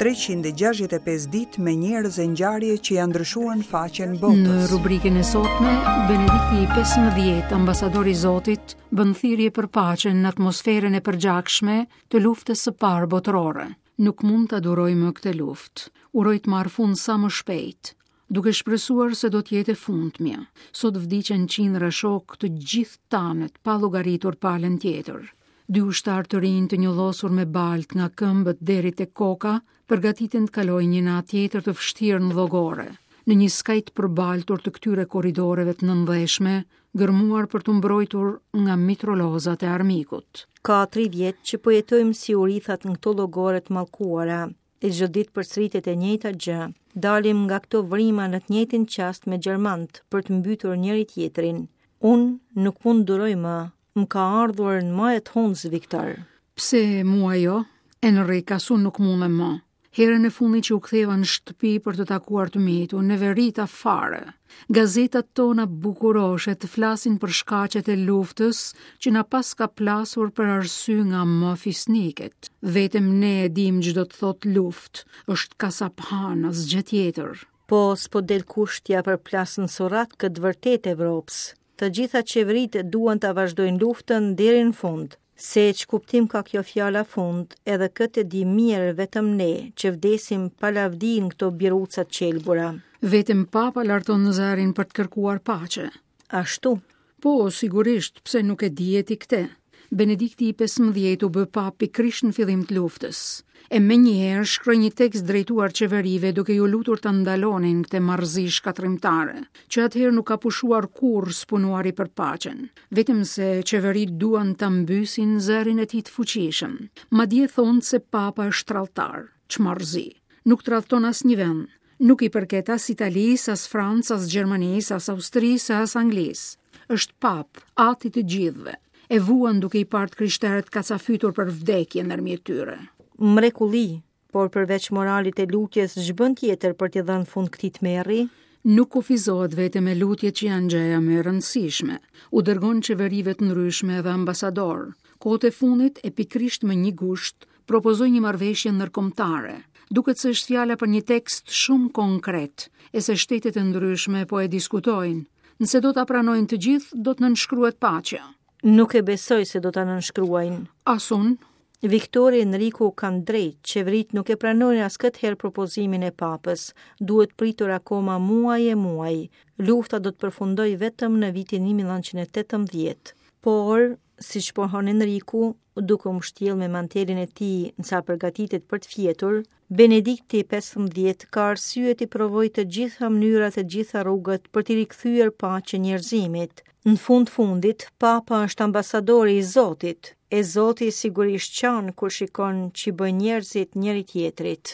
365 ditë me njerëz e ngjarje që ia ndryshuan faqen botës. Në rubrikën e sotme, Benedikti i 15, ambasador i Zotit, bën thirrje për paqen në atmosferën e përgjakshme të luftës së parë botërore. Nuk mund ta duroj më këtë luftë. Uroj të marrë fund sa më shpejt duke shpresuar se do të jetë e fundmja. Sot vdiqën qindra shokë të gjithë tanët, pa llogaritur palën tjetër. Dy ushtarë të rinj të njollosur me baltë nga këmbët deri te koka, përgatiten të kalojnë një natë tjetër të vështirë në llogore, në një skaj të përbaltur të këtyre korridoreve të nëndheshme, gërmuar për t'u mbrojtur nga mitrolozat e armikut. Ka tri vjet që po jetojmë si urithat në këto llogore të mallkuara. E çdo ditë përsëritet e njëjta gjë. Dalim nga këto vrima në të njëjtin çast me gjermanët për të mbytur njëri-tjetrin. Unë nuk mund duroj më. Më ka ardhur në maje të hundës, Viktor. Pse mua jo? Enrik, as unë nuk mundem më. Herën e fundit që u ktheva në shtëpi për të takuar të mitë, u neverita fare. Gazetat tona bukuroshe të flasin për shkaqet e luftës që na paska plasur për arsye nga më fisniket. Vetëm ne e dimë ç'do të thotë luftë, është kasaphanë, asgjë tjetër. Po, s'po del kush t'ia përplasë në surrat këtë të vërtetë Evropës. Të gjitha qeveritë duan ta vazhdojnë luftën deri në fund. Se ç'kuptim ka kjo fjala fund, edhe këtë e dimë mirë vetëm ne, që vdesim pa lavdi në këto biruca të qelbura. Vetëm papa larton zërin për të kërkuar paqe. Ashtu. Po, sigurisht, pse nuk e dije ti këtë? Benedikti i 15 u bë papë pikërisht në fillim të luftës. E menjëherë shkroi një tekst drejtuar qeverive duke iu lutur ta ndalonin këtë marrëzi shkatërrimtare, që atëherë nuk ka pushuar kurrë së punuari për paqen, vetëm se qeveritë duan ta mbysin zërin e tij të fuqishëm. Madje thonë se papa është tradhtar. Ç'marrëzi. Nuk tradhton asnjë vend. Nuk i përket as Italisë, as Francës, as Gjermanisë, as Austrisë, as Anglisë. Është papë, ati i të gjithëve. E vuan duke i parë të krishterët kacafytur për vdekje ndërmjet tyre. Mrekulli, por përveç moralit e lutjes, ç'bën tjetër për t'i dhënë fund këtij tmerri? Nuk kufizohet vetëm me lutjet që janë gjëja më e rëndësishme. U dërgon qeverive të ndryshme edhe ambasadorë. Kohët e fundit, e pikërisht më një gusht, propozoi një marrëveshje ndërkombëtare. Duket se është fjala për një tekst shumë konkret, e se shtetet e ndryshme po e diskutojnë. Nëse do ta pranojnë të gjithë, do të nënshkruhet paqja. Nuk e besoj se do ta nënshkruajnë. As unë. Viktori e Enriku kanë drejt, qeveritë nuk e pranojnë as këtë herë propozimin e papës. Duhet pritur akoma muaj e muaj. Lufta do të përfundojë vetëm në vitin 1918. Por, siç pohon Enriku, duke u mbështjellë me mantelin e tij ndërsa përgatitet për të fjetur, Benedikti 15 ka arsye t'i provojë të gjitha mënyrat e të gjitha rrugët për t'i rikthyer paqen njerëzimit. Në fund fundit, Papa është ambasadori i Zotit, e Zoti sigurisht qan kur shikon ç'i bëjnë njerëzit njëri-tjetrit.